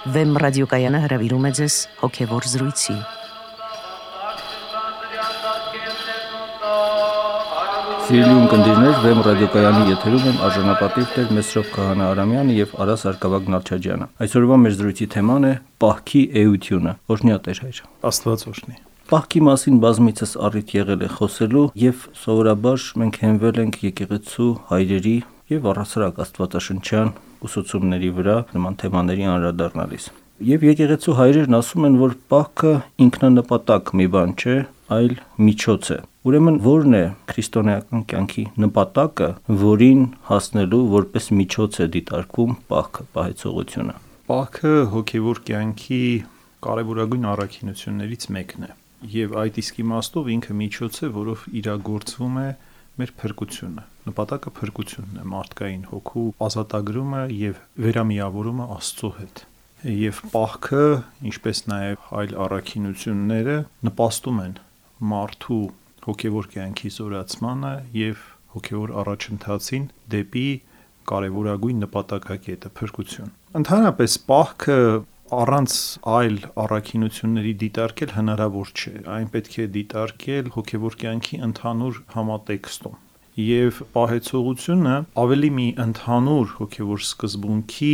Վեմ ռադիոկայանը հրավիրում է ձեզ հոգևոր զրույցի։ Սիրելի ունկնդիրներ, Վեմ ռադիոկայանի եթերում են արժանապատիվ Տեր Մեսրոպ Քահանա Արամյանը եւ Արաս Արկավագ Նալչաջյանը։ Այսօրվա մեր զրույցի թեման է պահքի էությունը։ Օրհնյա Տեր հայր։ Աստված օրհնի։ Պահքի մասին բազմիցս առիթ եղել է խոսելու եւ սովորաբար մենք հենվել ենք եկեղեցու հայրերի եւ առասարակ աստվածաշնչյան ուսուցումների վրա նման թեմաների անդրադառնալիս։ Եվ եկեղեցու հայրերն ասում են, որ պահքը ինքնանպատակ մի բան չէ, այլ միջոց է։ Ուրեմն ո՞րն է քրիստոնեական կյանքի նպատակը, որին հասնելու որպես միջոց է դիտարկվում պահքը, պահեցողությունը։ Պահքը հոգևոր կյանքի կարևորագույն առաքինություններից մեկն է։ Եվ այդ իսկ իմաստով ինքը միջոց է, որով իրագործվում է մեր փրկությունը։ Նպատակը փրկությունն է, մարդկային հոգու ազատագրումը եւ վերամիավորումը Աստծո հետ։ Եվ պահքը, ինչպես նաեւ այլ առաքինությունները, նպաստում են մարդու հոգևոր կյանքի զորացմանը եւ հոգևոր առաջընթացին դեպի կարևորագույն նպատակակետը փրկություն։ Ընդհանրապես պահքը առանց այլ առաքինությունների դիտարկել հնարավոր չէ, այն պետք է դիտարկել հոգևոր կյանքի ընդհանուր համատեքստում։ Եվ պահեցողությունը ավելի մի ընդհանուր հոգևոր սկզբունքի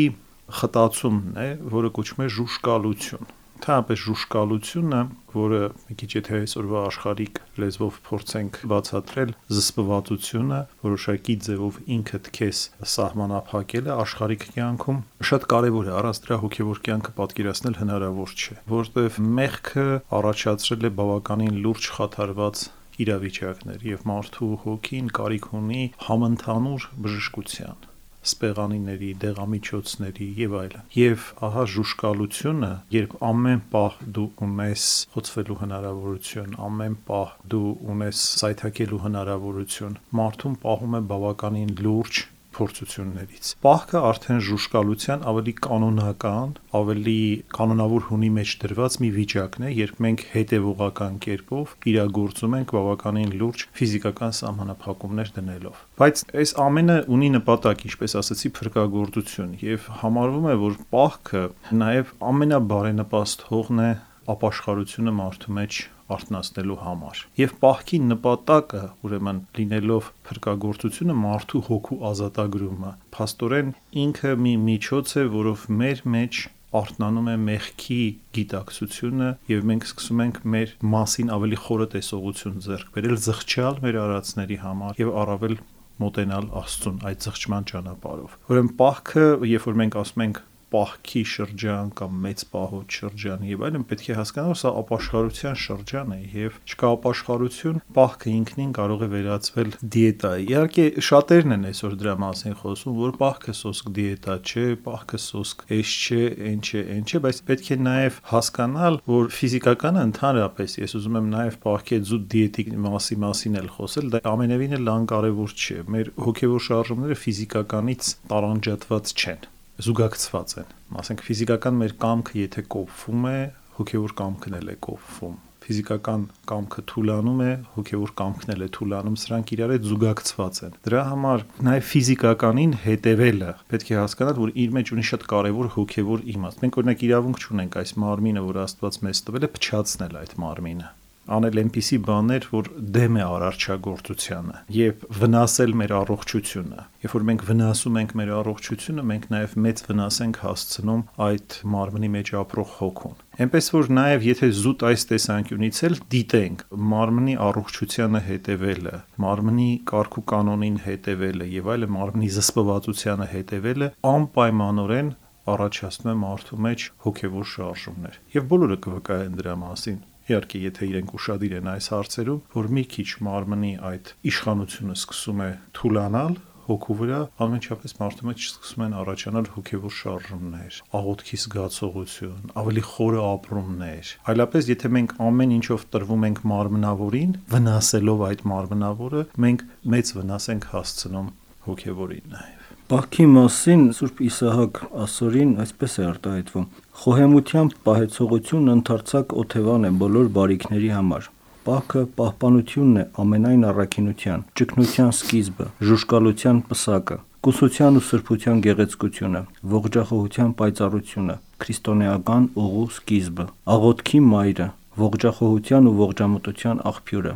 խտացումն է, որը կոչվում է ժուժկալություն։ Ընդհանրապես ժուժկալությունը, որը մի քիչ եթե այսօրվա աշխարհիկ լեզվով փորձենք բացատրել, զսպվածությունը, որոշակի ձևով ինքդ քեզ սահմանափակելը աշխարհիկ կյանքում շատ կարևոր է, առանց դրա հոգևոր կյանքը պատկերացնել հնարավոր չէ, որովհետև մեղքը առաջացրել է բավականին լուրջ խաթարված իրավիճակներ եւ մարդու հոգին կարիք ունի համընդհանուր բժշկության, սպեղանիների, դեղամիջոցների եւ այլն։ Եվ ահա ժուժկալությունը, երբ ամեն պահ դու ունես խոցվելու հնարավորություն, ամեն պահ դու ունես սայթաքելու հնարավորություն, մարդուն պահում է բավականին լուրջ փորձություններից։ Պահքը արդեն ժուժկալության ավելի կանոնական, ավելի կանոնավոր հունի մեջ դրված մի վիճակն է, երբ մենք հետևողական կերպով իրագործում ենք բավականին լուրջ ֆիզիկական սահմանափակումներ դնելով։ Բայց այս ամենը ունի նպատակ, ինչպես ասացի, փրկagorցություն, եւ համարվում է, որ պահքը նաեւ ամենաբարենպաստ հողն է ապաշխարությունը մարդու մեջ արթնացնելու համար։ Եվ պահքի նպատակը, ուրեմն լինելով փրկagorցությունը, մարդու հոգու ազատագրումը, փաստորեն ինքը մի միջոց է, որով մեր մեջ արթնանում է մեղքի գիտակցությունը եւ մենք սկսում ենք մեր մասին ավելի խորը տեսողություն ձեռք բերել, զղջալ մեր արածների համար եւ առավել մոտենալ Աստծուն այդ զղջման ճանապարհով։ Ուրեմն պահքը, երբ որ մենք ասում ենք պահքի շրջան կամ մեծ պահոց շրջան եւ այլն, պետք է հասկանալ, որ սա ապաշխարության շրջան է եւ չկա ապաշխարություն, պահքը ինքնին կարող է վերածվել դիետայի։ Իհարկե շատերն են այսօր դրա մասին խոսում, որ պահքը սոսկ դիետա չէ, պահքը սոսկ էս չէ, այն չէ, բայց պետք է նաեւ հասկանալ, որ ֆիզիկականը ընդհանրապես, ես ուզում եմ նաեւ պահքի զուտ դիետիկ մասին էլ խոսել, դա ամենևին էլ անկարևոր չէ։ Մեր հոգեվոր շարժումները ֆիզիկականից տարանջատված չեն, զուգակցված են։ Ասենք ֆիզիկական մեր կամքը եթե կոփվում է, հոգևոր կամքն էլ է կոփվում։ Ֆիզիկական կամքը թուլանում է, հոգևոր կամքն էլ է թուլանում, սրանք իրար հետ զուգակցված են։ Դրա համար նաև ֆիզիկականին հետևելը պետք է հասկանալ, որ իր մեջ ունի շատ կարևոր հոգևոր իմաստ։ Մենք օրինակ իրավունք չունենք այս մարմինը, որ Աստված մեզ տվել է, փչացնել այդ մարմինը, անել այնպիսի բաներ, որ դեմ է արարչագործությանը եւ վնասել մեր առողջությունը։ Երբ որ մենք վնասում ենք մեր առողջությունը, մենք նաեւ մեծ վնաս ենք հասցնում այդ մարմնի մեջ ապրող հոգուն։ Այնպես որ նաեւ եթե զուտ այս տեսանկյունից էլ դիտենք մարմնի առողջությանը հետևելը, մարմնի կարգ ու կանոնին հետևելը եւ այլն, մարմնի զսպվածությանը հետևելը անպայմանորեն առաջացնում է մարդու մեջ հոգեվոր շարժումներ։ Եւ բոլորը կվկայեն դրա մասին։ Իհարկե, եթե իրենք ուշադիր են այս հարցերում, որ մի քիչ մարմնի այդ իշխանությունը սկսում է թուլանալ հոգու վրա, անմիջապես մարդու մեջ սկսում են առաջանալ հոգևոր շարժումներ, աղոթքի զգացողություն, ավելի խորը ապրումներ։ Այլապես, եթե մենք ամեն ինչով տրվում ենք մարմնավորին, վնասելով այդ մարմնավորը, մենք մեծ վնաս ենք հասցնում հոգևորին նաև։ Պահքի մասին Սուրբ Իսահակ ասորին այսպես է արտահայտվում. խոհեմությամբ պահեցողությունն ընդարձակ օթևան է բոլոր բարիքների համար։ Պահքը պահպանությունն է ամենայն առաքինության, ճգնության սկիզբը, ժուժկալության պսակը։ Կուսության ու սրբության գեղեցկությունը, ողջախոհության պայծառությունը, քրիստոնեական ուղու սկիզբը, աղոթքի մայրը, ողջախոհության ու ողջամտության աղբյուրը,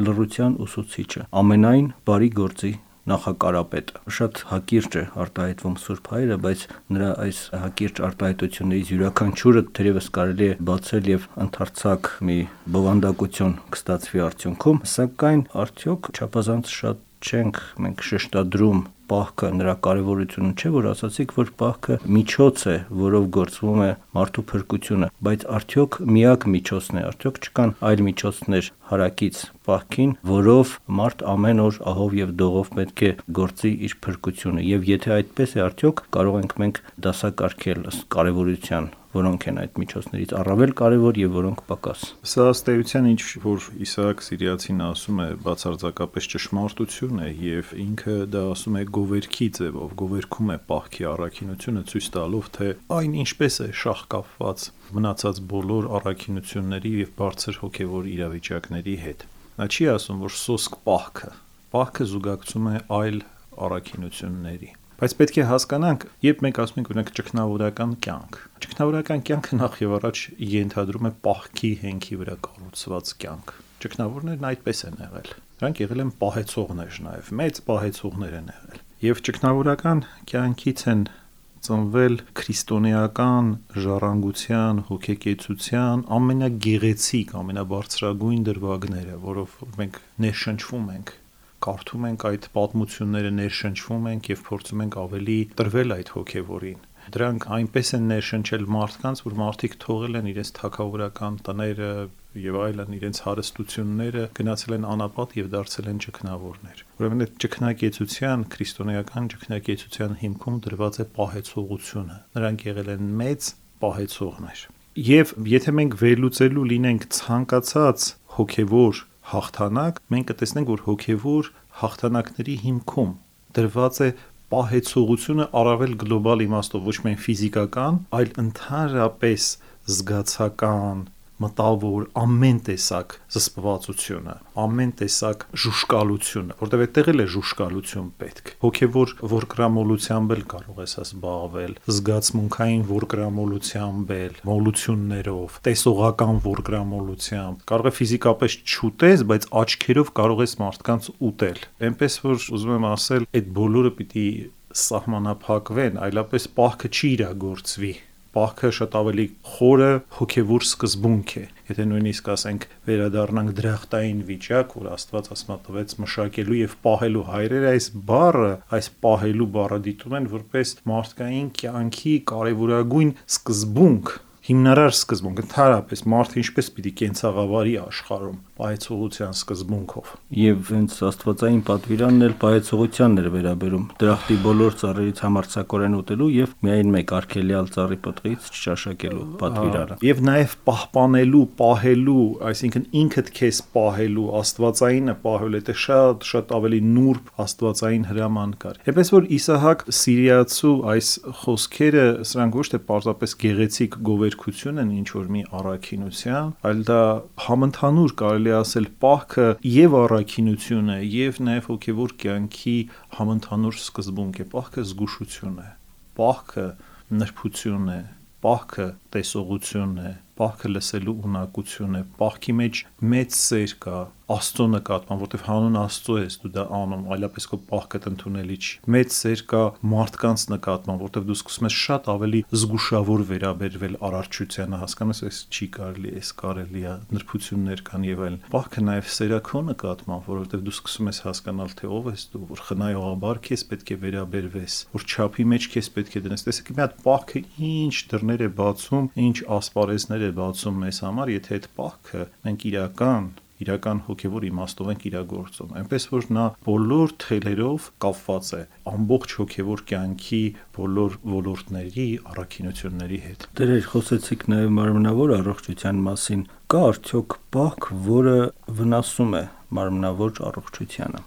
լռության ուսուցիչը, ամենայն բարի գործի նախակարապետը։ Շատ հակիրճ է արտահայտվում Սուրբ Հայրը, բայց նրա այս հակիրճ արտահայտություններից յուրաքանչյուրը թերևս կարելի է բացել եւ ընդարձակ մի բովանդակություն կստացվի արդյունքում, սակայն արդյոք չափազանց շատ չենք մենք շեշտադրում պահքը, նրա կարևորությունը, չէ՞ որ ասացիք, որ պահքը միջոց է, որով գործվում է մարդու փրկությունը, բայց արդյոք միակ միջոցն է, արդյոք չկան այլ միջոցներ հարակից պահքին, որով մարդ ամեն օր ահով եւ դողով պետք է գործի իր փրկությունը, եւ եթե այդպես է, արդյոք կարող ենք մենք դասակարգել ըստ կարևորության, որոնք են այդ միջոցներից առավել կարևոր եւ որոնք պակաս։ Սա ըստ էության ինչ որ Իսահակ Սիրիացին ասում է, բացարձակապես ճշմարտություն է եւ ինքը դա ասում է գովերքի ձևով, գովերքում է պահքի առաքինությունը, ցույց տալով, թե այն ինչպես է շահկապված մնացած բոլոր առաքինությունների եւ բարձր հոգեվոր իրավիճակների հետ։ Նա չի ասում, որ սոսկ պահքը զուգակցում է այլ առաքինությունների։ Բայց պետք է հասկանանք, երբ մենք ասում ենք օրինակ ճգնավորական կյանքը նախ եւ առաջ ենթադրում է պահքի հենքի վրա կառուցված կյանք։ Ճգնավորներն այդպես են եղել։ Նրանք եղել են պահեցողներ նաեւ, մեծ պահեցողներ են եղել։ Եվ ճգնավորական կյանքից են ծնվել քրիստոնեական ժառանգության, հոգեկեցության ամենագեղեցիկ, ամենաբարձրագույն դրվագները, որով մենք ներշնչվում ենք, կարդում ենք այդ պատմությունները, ներշնչվում ենք եւ փորձում ենք ավելի տրվել այդ հոգեվորին։ Դրանք այնպես են ներշնչել մարդկանց, որ մարդիկ թողել են իրենց թագավորական տները եւ այլն, իրենց հարստությունները, գնացել են անապատ եւ դարձել են ճգնավորներ։ Ուրեմն այդ ճգնակեցության, քրիստոնեական ճգնակեցության հիմքում դրված է պահեցողությունը։ Նրանք եղել են մեծ պահեցողներ։ Եվ եթե մենք վերլուծելու լինենք ցանկացած հոգեվոր հաղթանակ, մենք կտեսնենք, որ հոգեվոր հաղթանակների հիմքում դրված է պահեցողությունը առավել գլոբալ իմաստով, ոչ միայն ֆիզիկական, այլ ընդհանրապես զգացական, մտավոր, ամեն տեսակ զսպվածությունը, ամեն տեսակ ժուշկալությունը, որտեղ այդտեղ էլ է ժուշկալություն պետք։ Հոգևոր որկրամոլությամբ էլ կարող ես զբաղվել, զգացմունքային որկրամոլությամբ էլ, մոլություններով, տեսողական որկրամոլությամբ։ Կարող է ֆիզիկապես չուտես, բայց աչքերով կարող ես մարդկանց ուտել։ Էնպես որ ուզում եմ ասել, այդ բոլորը պիտի սահմանափակվեն, այլապես պահքը չի իրագործվի։ Պահքը շատ ավելի խորը հոգևոր սկզբունք է։ Եթե նույնիսկ ասենք վերադառնանք դրախտային վիճակ, որ Աստված ասմատվեց մշակելու եւ պահելու հայրերը, այս պահելու բառը դիտում են որպես մարդկային կյանքի կարևորագույն սկզբունք, հիմնարար սկզբունք, ընդհանրապես մարդը ինչպես պիտի կենցաղավարի աշխարհում պահեցողության սկզբունքով։ Եվ հենց աստվածային պատվիրանն էլ պահեցողությանն էր վերաբերում, դրախտի բոլոր ծառերից համարձակորեն ուտելու եւ միայն մեկ արգելյալ ծառի պտղից չճաշակելու պատվիրանը։ Եվ նաեւ պահպանելու, պահելու, այսինքն ինքդ քեզ պահելու, աստվածայինը պահելու, դա շատ ավելի նուրբ աստվածային հրաման կար։ Այնպես որ Իսահակ Սիրիացու այս խոսքերը, սրանք ոչ թե պարզապես գեղեցիկ գովերքություն են ինչ որ մի առաքինության, այլ դա համընդհանուր կարելի ասել պահքը եւ առաքինություն է եւ նաեւ հոգեվոր կյանքի համընդհանուր սկզբունք է։ Պահքը զգուշություն է, պահքը նրբություն է, պահքը տեսողություն է, պահքը լսելու ունակություն է, պահքի մեջ մեծ սեր կա Աստծո նկատմամբ, որտեվ հանուն Աստծո ես դու դա անում, այլապես քո պահքդ ընդունելի չի։ Մեծ սեր կա մարդկանց նկատմամբ, որտեվ դու սկսում ես շատ ավելի զգուշավոր վերաբերվել առարչությանը, հասկանում ես, չի կարելի, էս կարելի է, նրբություններ կան եւ այլն։ Պահքը նաեւ սերակո նկատմամբ, որովհետեւ դու սկսում ես հասկանալ, թե ով ես դու, որ խնայողաբար քեզ պետք է վերաբերվես, որ չափի մեջ քեզ պետք է դնես։ Տեսեք, մի հատ պահքը ինչ դռներ է բացում, ինչ ասպարեզներ է բացում մեզ համար, եթե այդ պահքը մենք իրական հոգևոր իմաստով ենք իրագործում։ Այնպես որ նա բոլոր թելերով կապված է ամբողջ հոգևոր կյանքի բոլոր ոլորտների առաքինությունների հետ։ Դեր խոսեցիք նաև մարմնավոր առողջության մասին։ Կա արդյոք պահք, որը վնասում է մարմնավոր առողջությանը։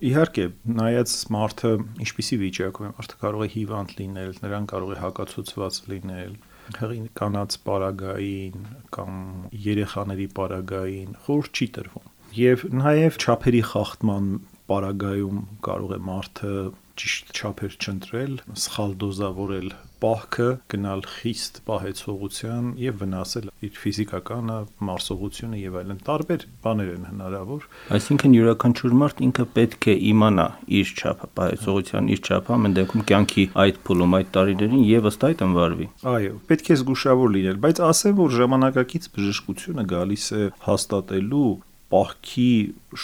Իհարկե, նայած մարդը ինչպիսի վիճակում է, մարդը կարող է հիվանդ լինել, նրան կարող է հակացուցված լինել, հղի կանանց պարագային կամ երեխաների պարագային խորհուրդ չի տրվում։ Եվ նաև չափերի խախտման պարագայում կարող է մարդը ճիշտ չափեր չընտրել, սխալ դոզավորել պահքը, գնալ խիստ պահեցողության եւ վնասել իր ֆիզիկականը, մարսողությունը եւ այլն տարբեր բաներ են հնարավոր։ Այսինքն յուրաքանչյուր մարդ ինքը պետք է իմանա իր չափը, պահեցողության իր չափը, ամեն դեպքում կյանքի այդ փուլում, այդ տարիներին եւ ըստ այդ ընվարվի։ Այո, պետք է զգուշավոր լինել, բայց ասեմ, որ ժամանակակից բժշկությունը գալիս է հաստատելու պահքի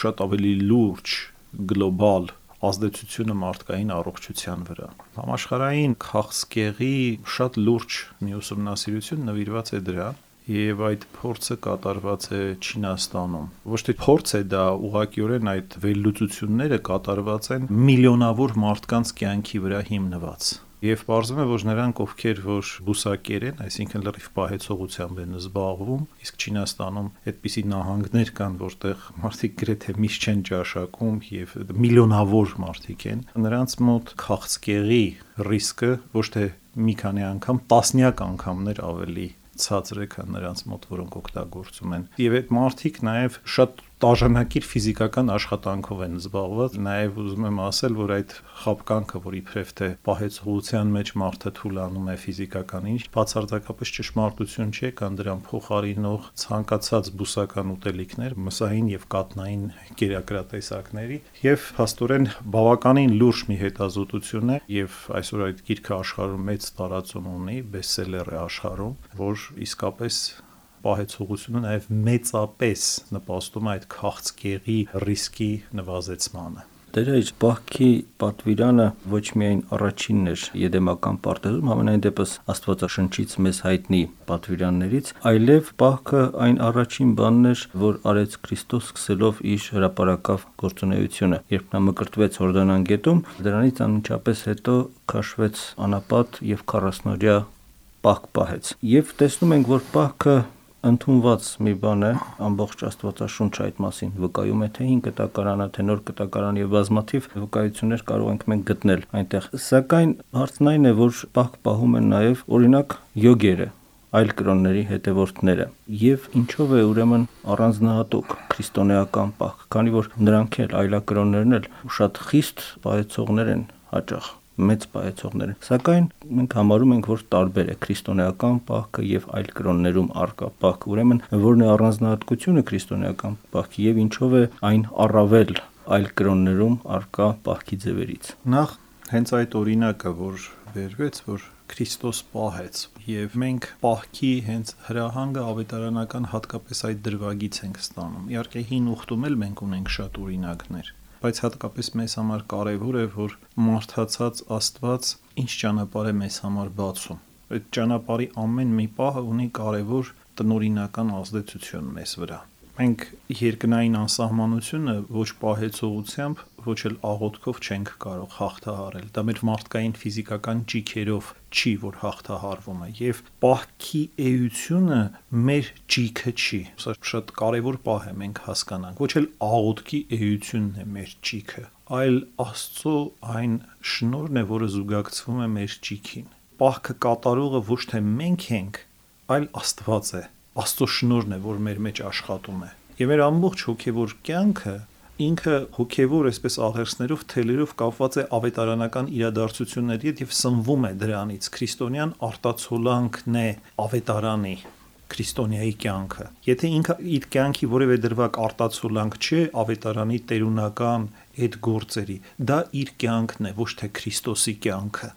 շատ ավելի լուրջ գլոբալ ազդեցությունը մարդկային առողջության վրա։ Համաշխարհային քաղցկեղի շատ լուրջ մի ուսումնասիրություն նվիրված է դրան, եւ այդ փորձը կատարված է Չինաստանում։ Ոչ թե փորձ է դա, ուղղակիորեն այդ վերլուծությունները կատարված են միլիոնավոր մարդկանց կյանքի վրա հիմնված։ Եվ պարզվում է, որ նրանք, ովքեր որ բուսակեր են, այսինքն լրիվ պահեցողությամբ են զբաղվում, իսկ Չինաստանում այդպիսի նահանգներ կան, որտեղ մարդիկ գրեթե միշտ չեն ճաշակում եւ միլիոնավոր մարդիկ են, նրանց մոտ քաղցկեղի ռիսկը ոչ թե մի քանի անգամ, տասնյակ անգամներ ավելի ցածր է, քան նրանց մոտ, որոնք օգտագործում են։ Եվ այդ մարդիկ նաև շատ տաժանակիր ֆիզիկական աշխատանքով են զբաղված, նաև ուզում եմ ասել, որ այդ խապկանքը, որ իբրև թե պահեցողության մեջ մարդը թուլանում է ֆիզիկական ինչ, բացարձակապես ճշմարտություն չէ, կան դրան փոխարինող ցանկացած բուսական ուտելիքներ, մսային եւ կաթնային կերակրատեսակների, եւ փաստորեն բավականին լուրջ մի հետազոտություն է, եւ այսօր այդ գիրքը աշխարհում մեծ տարածում ունի, բեսթսելեր է աշխարհում, որ իսկապես պահեցողությունը նաև մեծապես նպաստում է այդ քաղցկեղի ռիսկի նվազեցմանը։ Դրա իր պահքի պատվիրանը ոչ միայն առաջինն էր եդեմական պարտեզում, համենայն դեպս Աստվածաշնչից մեզ հայտնի պատվիրաններից, այլև պահքը այն առաջին բանն էր, որ արեց Քրիստոս սկսելով իր հրապարակավ գործունեությունը, երբ նա մկրտվեց Հորդանան գետում, դրանից անմիջապես հետո քաշվեց անապատ եւ 40-օրյա պահք պահեց։ Եվ տեսնում ենք, որ պահքը ընդունված մի բան է, ամբողջ Աստվածաշունչը այդ մասին վկայում է, թե 5 կտակարանը, թե նոր կտակարան եւ բազմաթիվ վկայություններ կարող ենք մենք գտնել այնտեղ։ Սակայն հարցն այն է, որ պահք պահում են նաեւ օրինակ յոգերը, այլ կրոնների հետևորդները։ Եվ ինչով է ուրեմն առանձնահատուկ քրիստոնեական պահք, քանի որ նրանք էլ այլակրոններն էլ շատ խիստ պահեցողներ են հաճախ, մեծ պահեցողներ են։ Սակայն մենք համարում ենք, որ տարբեր է քրիստոնեական պահքը եւ այլ կրոններում արկա պահքը։ Ուրեմն որն է առանձնահատկությունը քրիստոնեական պահքի եւ ինչով է այն առավել այլ կրոններում արկա պահքի ձևերից։ Նախ հենց այդ օրինակը, որ վերվեց, որ Քրիստոս պահեց, եւ մենք պահքի հենց հրահանգը ավետարանական հատկապես այդ դրվագից ենք ստանում։ Իհարկե հին ուխտում էլ մենք ունենք շատ օրինակներ, բայց հատկապես մեզ համար կարևոր է, որ մարդացած Աստված ինչ ճանապարհ է մեզ համար բացում։ Այդ ճանապարհի ամեն մի պահը ունի կարևոր տնօրինական ազդեցություն մեզ վրա։ Մենք երկնային անսահմանությունը ոչ պահեցողությամբ, ոչ էլ աղոթքով չենք կարող հաղթահարել։ Դա մեր մարդկային ֆիզիկական ճիքերով չի, որ հաղթահարվում է, եւ պահքի էությունը մեր ճիքը չի։ Սա շատ կարևոր պահ է, մենք հասկանանք։ Ոչ էլ աղոթքի էությունն է մեր ճիքը, այլ Աստծո այն շնորհն է, որը զուգակցվում է մեր ճիքին։ Պահքը կատարողը ոչ թե մենք ենք, այլ Աստված է։ Աստծո շնորհն է, որ մեր մեջ աշխատում է։ Եվ մեր ամբողջ հոգևոր կյանքը ինքը հոգևոր այսպես աղերսներով, թելերով կապված է ավետարանական իրադարձությունների հետ եւ սնվում է դրանից։ Քրիստոնյան արտացոլանքն է ավետարանի, քրիստոնյայի կյանքը։ Եթե ինքը իր կյանքի որևէ դրվագ արտացոլանք չէ ավետարանի տերունական այդ գործերի, դա իր կյանքն է, ոչ թե Քրիստոսի կյանքը։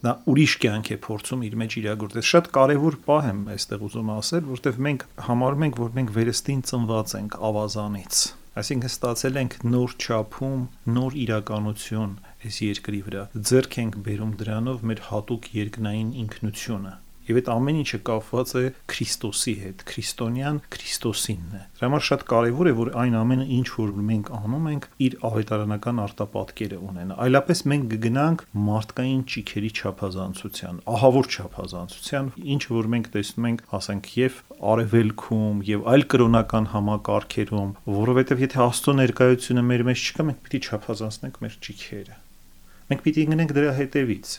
Նա ուրիշ կյանք է փորձում իր մեջ իրագործել։ Շատ կարևոր պահ եմ այստեղ ուզում ասել, որովհետև մենք համարում ենք, որ մենք վերստին ծնված ենք ավազանից։ Այսինքն ստացել ենք նոր չափում, նոր իրականություն այս երկրի վրա։ Ձեռք ենք բերում դրանով մեր հատուկ երկնային ինքնությունը։ Եվ այդ ամեն ինչը կապված է Քրիստոսի հետ, քրիստոնյան Քրիստոսինն է։ Դրա համար շատ կարևոր է, որ այն ամենը, ինչ որ մենք անում ենք, իր ավետարանական արտապատկերը ունենա։ Այլապես մենք կգնանք մարդկային ճիքերի չափազանցության, ահավոր չափազանցության, ինչ որ մենք տեսնում ենք, ասենք, եւ արևելքում, եւ այլ կրոնական համակարգերում, որովհետեւ եթե Աստծո ներկայությունը մեր մեջ չկա, մենք պիտի չափազանցնենք մեր ճիքերը։ Մենք պիտի գնանք դրա հետևից։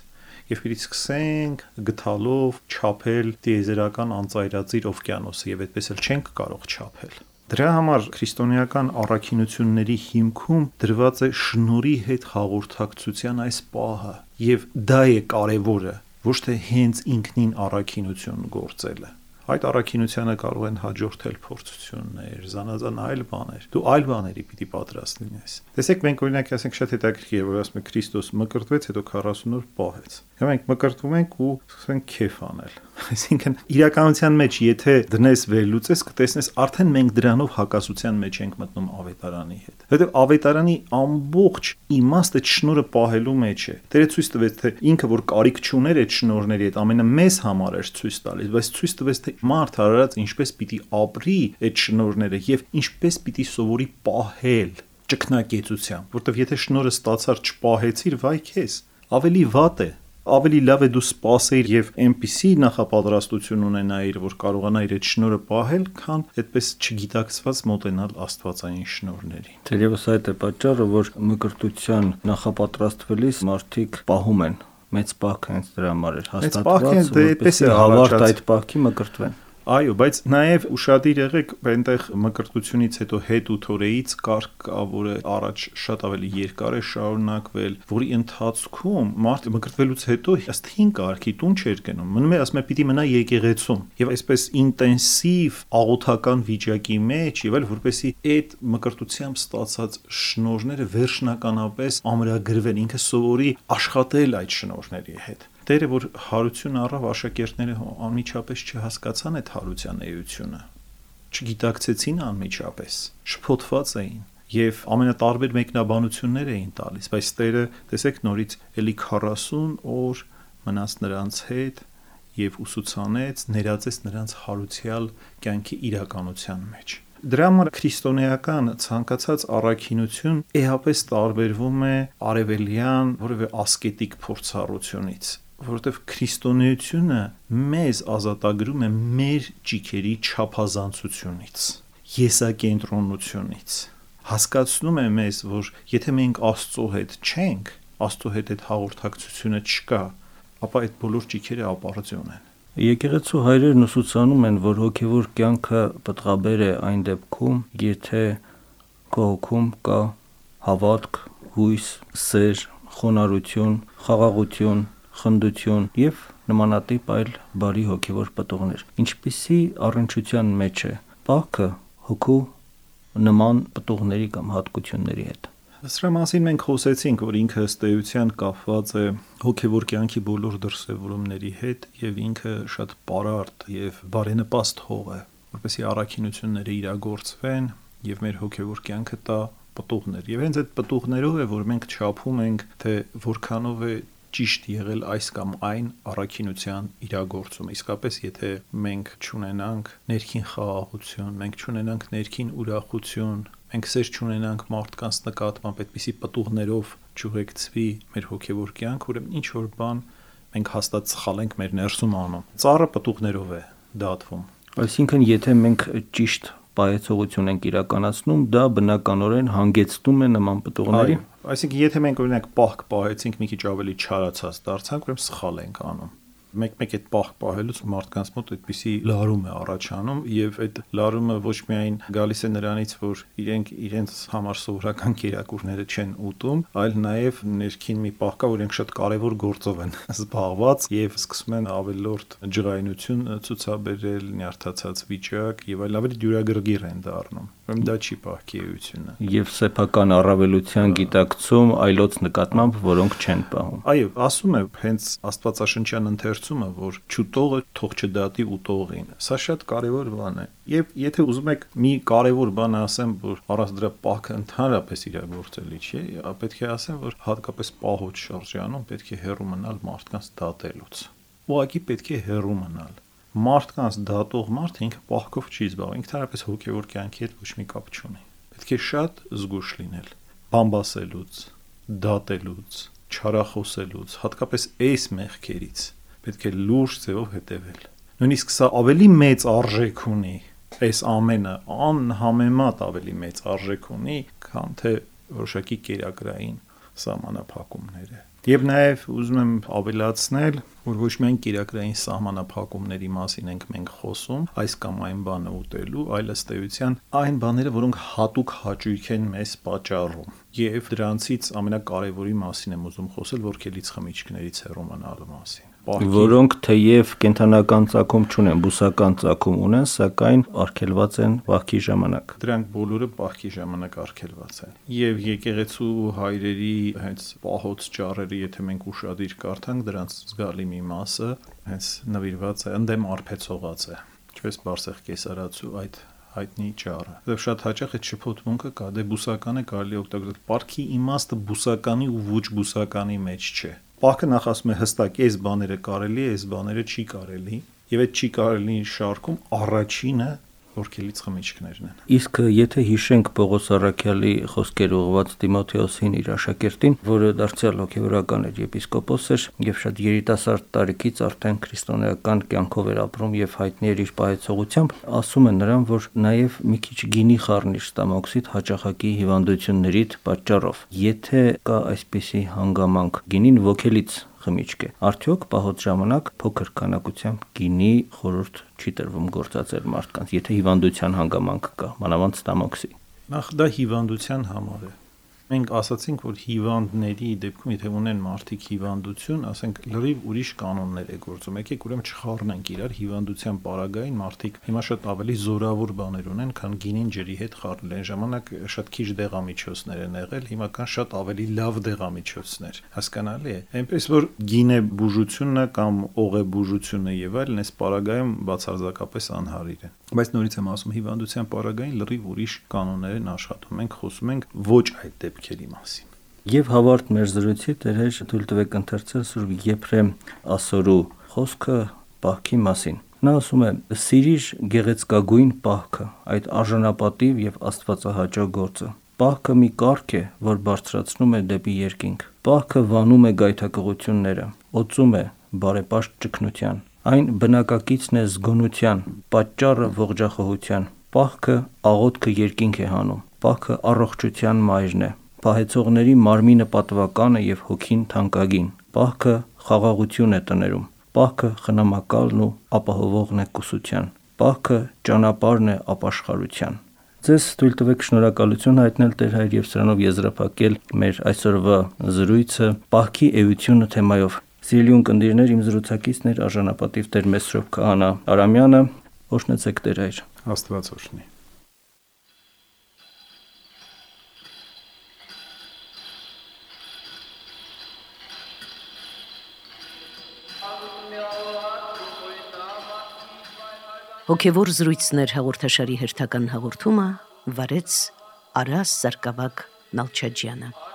Եվ պիտի սկսենք գթալով չափել տիեզերական անծայրածիր օվկիանոսը եւ այդպես էլ չենք կարող չափել։ Դրա համար քրիստոնեական առաքինությունների հիմքում դրված է շնորհի հետ հաղորդակցության այս պահը, եւ դա է կարևորը, ոչ թե հենց ինքնին առաքինություն գործելը։ Այդ առաքինությանը կարող են հաջորդել փորձություններ, զանազան այլ բաներ։ Դու այլ բաների պիտի պատրաստ լինես։ Տեսեք, մենք օրինակ ասենք շատ հետաքրքիր է, որ ասում է Քրիստոս մկրտվեց, հետո 40 օր պահեց։ Հիմա մենք մկրտվում ենք ու սկսում ենք քեֆ անել։ Այսինքն իրականության մեջ եթե դնես վերլուծես, կտեսնես արդեն մենք դրանով հակասության մեջ ենք մտնում ավետարանի հետ։ Որտեղ ավետարանի ամբողջ իմաստը շնորհը պահելու մեջ է։ Տերը ցույց տվեց, թե ինքը որ կարիք չուներ այդ շնորհների հետ, ամենամեծ համար էր ցույց տալիս, բայց ցույց տվեց, թե մարդ հարարած ինչպես պիտի ապրի այդ շնորհները եւ ինչպես պիտի սովորի պահել ճկնակեցությամբ, որտեվ եթե շնորհը ստացար չպահեցիր, վայ քեզ, ավելի վատ է։ Ավելի լավ է դու սպասեիր եւ այնպիսի նախապատրաստություն ունենայիր, որ կարողանայիր այդ շնորհը պահել, քան այդպես չգիտակցված մոտենալ աստվածային շնորհներին։ Թերևս այդ է պատճառը, որ մկրտության նախապատրաստվելիս մարդիկ պահում են մեծ պահք հենց դրա համար էր հաստատված, որպեսզի հավարտ այդ պահքի մկրտվեն։ Այո, բայց նաև ուշադիր եղեք, այնտեղ մկրտությունից հետո հետ ու թորեից կարգ կա, որը առաջ շատ ավելի երկար է շարունակվել, որի ընթացքում մարդը մկրտվելուց հետո ըստ հին կարգի տուն չէր գնում, մնում է, ասում է, պիտի մնա եկեղեցում, եւ այսպես ինտենսիվ աղոթական վիճակի մեջ, եւ այլ, որպեսզի այդ մկրտությամբ ստացած շնորհները վերջնականապես ամրագրվեն, ինքը սովորի աշխատել այդ շնորհների հետ։ Տերը որ հարություն առավ, աշակերտները անմիջապես չհասկացան այդ հարության էությունը, չգիտակցեցին անմիջապես, շփոթված էին եւ ամենատարբեր մեկնաբանություններ էին տալիս, բայց Տերը, տեսեք, նորից էլի 40 օր մնաց նրանց հետ եւ ուսուցանեց, ներածեց նրանց հարուցյալ կյանքի իրականության մեջ։ Դրա համար քրիստոնեական ցանկացած առաքինություն էապես տարբերվում է արևելյան որևէ ասկետիկ փորձառությունից, որովհետև քրիստոնեությունը մեզ ազատագրում է մեր ճիքերի չափազանցությունից, եսակենտրոնությունից, հասկացնում է մեզ, որ եթե մենք Աստծո հետ չենք, Աստծո հետ այդ հաղորդակցությունը չկա, ապա այդ բոլոր ճիքերը ապարդյուն են։ Եկեղեցու հայրերն ուսուցանում են, որ հոգևոր կյանքը պտղաբեր է այն դեպքում, եթե քո հոգում կա հավատք, հույս, սեր, խոնարհություն, խաղաղություն, խնդություն եւ նմանատիպ այլ բարի հոգևոր պտուղներ։ Ինչպիսի առնչության մեջ է պահքը հոգու նման պտուղների կամ հատկությունների հետ։ Սրա մասին մենք խոսեցինք, որ ինքը ըստ էության կապված է հոգևոր կյանքի բոլոր դրսևորումների հետ եւ ինքը շատ պարարտ եւ բարենպաստ հող է, որպեսզի առաքինությունները իրագործվեն եւ մեր հոգևոր կյանքը տա պտուղներ։ Եվ հենց այդ պտուղներով է, որ մենք չափում ենք, թե որքանով է ճիշտ եղել այս կամ այն առաքինության իրագործումը։ Իսկապես, եթե մենք չունենանք ներքին խաղաղություն, մենք չունենանք ներքին ուրախություն, մենք սեր չունենանք մարդկանց նկատմամբ, այդպիսի պտուղներով չուղեկցվի մեր հոգևոր կյանք, ուրեմն ինչ որ բան մենք հաստատ սխալ ենք մեր ներսում անում։ Ծառը պտուղներով է դատվում։ Այսինքն, եթե մենք ճիշտ պայեցողություն ենք իրականացնում, դա բնականորեն հանգեցնում է նման պտուղների։ Այսինքն, եթե մենք օրինակ պահք պահեցինք, մի քիչ ավելի չարացած դարձանք, ուրեմն սխալ ենք անում։ Մեկ-մեկ այդ պահք պահելուց մարդկանց մոտ այդպիսի լարում է առաջանում եւ այդ լարումը ոչ միայն գալիս է նրանից, որ իրենց համար սովորական կերակուրները չեն ուտում, այլ նաեւ ներքին մի պահ կա, որ իրենք շատ կարեւոր գործով են զբաղված եւ սկսում են ավելորդ ջղայնություն ցուցաբերել, նյարդացած վիճակ եւ այլ ավելի դյուրագրգիռ են դառնում։ Ուրեմն դա չի պահքի էությունը։ Եվ սեփական առավելության գիտակցում այլոց նկատմամբ, որոնք չեն պահում։ Այո, ասում է հենց Աստվածաշնչյան ընթերցումը, որ չուտողը թող չդատի ուտողին։ Սա շատ կարևոր բան է։ Եվ եթե ուզում եք մի կարևոր բան ասեմ, որ առանց դրա պահքը ընդհանրապես իրագործելի չի, պետք է ասեմ, որ հատկապես պահոց շրջանում պետք է հեռու մնալ մարդկանց դատելուց։ Ուղղակի պետք է հեռու մնալ։ Մարդկանց դատող մարդը ինքը պահքով չի զբաղվում, ինքնարապես հոգևոր կյանքի հետ ոչ մի կապ չունի։ Պետք է շատ զգուշ լինել բամբասելուց, դատելուց, չարախոսելուց, հատկապես այս մեղքերից պետք է լուրջ ձևով հետևել։ Նույնիսկ սա ավելի մեծ արժեք ունի, այս ամենը անհամեմատ ավելի մեծ արժեք ունի, քան թե որոշակի կերակրային սահմանափակումները։ Եվ նաև ուզում եմ ավելացնել, որ ոչ միայն կիրակրային սահմանափակումների մասին ենք մենք խոսում, այս կամ այն բանը ուտելու, այլ ըստ էության այն բաները, որոնք հատուկ հաճույք են մեզ պատճառում։ Եվ դրանցից ամենակարևորի մասին եմ ուզում խոսել, որքելից խմիչքներից հեռու մնալու մասին։ Որոնք թեև կենթանական ծագում չունեն, բուսական ծագում ունեն, սակայն արգելված են պահքի ժամանակ։ Դրանք բոլորը պահքի ժամանակ արգելված են։ Եվ եկեղեցու հայրերի հենց պահոց ճառերը, եթե մենք ուշադիր կարդանք, դրանց զգալի մի մասը հենց նվիրված է, ընդդեմ արբեցողած է, ինչպես Բարսեղ կեսարացու այդ հայտնի ճառը։ Եվ շատ հաճախ այդ շփոթմունքը կա, դե բուսականը կարելի օգտագործել։ Պահքի իմաստը բուսականի ու ոչ բուսականի մեջ չէ։ Պահքը նախ ասում է հստակ, այս բաները կարելի է, այս բաները չի կարելի, եւ այդ չի կարելի շարքում առաջինը որքելից խմիչքներն են։ Իսկ եթե հիշենք Պողոս առաքյալի խոսքեր ուղղված Տիմոթեոսին իր աշակերտին, որը դարձյալ հոգևորական էր, եպիսկոպոս էր եւ շատ երիտասարդ տարիքից արդեն քրիստոնեական կյանքով էր ապրում եւ հայտնի էր իր պահեցողությամբ, ասում է նրան, որ նաեւ մի քիչ գինի խառնիր ստամոքսիդ հաճախակի հիվանդություններիդ պատճառով։ Եթե կա այսպիսի հանգամանք, գինին ոգելից խմիչք է, արդյոք պահոց ժամանակ փոքր քանակությամբ գինի խորհուրդ չի տրվում գործածել մարդկանց, եթե հիվանդության հանգամանք կա, մանավանդ ստամոքսի։ Նախ դա հիվանդության համար է։ Մենք ասացինք, որ հիվանդների դեպքում, եթե ունեն մարդիկ հիվանդություն, ասենք լրիվ ուրիշ կանոններ է գործում։ Եկեք ուրեմն չխառնենք իրար հիվանդության պարագային մարդիկ հիմա շատ ավելի զորավոր բաներ ունեն, քան գինին ջրի հետ խառնել։ Այն ժամանակ շատ քիչ դեղամիջոցներ են եղել, հիմա կան շատ ավելի լավ դեղամիջոցներ։ Հասկանալի է։ Այնպես որ գինե բուժությունը կամ օղե բուժությունը եւ այլն այս պարագայում բացարձակապես անհարիր է։ Բայց նորից եմ ասում, հիվանդության պարագային լրիվ ուրիշ կանոններ են աշխատում։ Մենք խոսում ենք ոչ այդ դեպքերի մասին։ Եվ հավարդ մեր զրույցի Տեր թույլ տվեք ընթերցել Սուրբ Եփրեմ ասորու խոսքը պահքի մասին։ Նա ասում է. «Սիրիր գեղեցկագույն պահքը, այդ արժանապատիվ եւ աստվածահաճո գործը։ Պահքը մի կարգ է, որ բարձրացնում է դեպի երկինք։ Պահքը վանում է գայթակղությունները, օծում է բարեպաշտ ճգնության։ Այն բնակակիցն է զգոնության, պատճառը ողջախոհության։ Պահքը աղոթքը երկինք է հանում։ Պահքը առողջության մայրն է։ Պահեցողների մարմինը պատվականը եւ հոգին թանկագին։ Պահքը խաղաղություն է տներում։ Պահքը խնամակալն ու ապահովողն է կուսության։ Պահքը ճանապարհն է ապաշխարության»։ Ձեզ թույլ տվեք շնորհակալություն հայտնել Տեր Հայր եւ սրանով եզրափակել մեր այսօրվա զրույցը պահքի էությունը թեմայով։ Սիրելի ունկնդիրներ, իմ զրուցակիցն էր արժանապատիվ Տեր Մեսրոպ Քահանա Արամյանը։ Օրհնեցեք Տեր Հայր։ Աստված օրհնի։ Հոգևոր զրույցներ հաղորդաշարի հերթական հաղորդումը վարեց Արաս Սարգսակ Նալչաջյանը։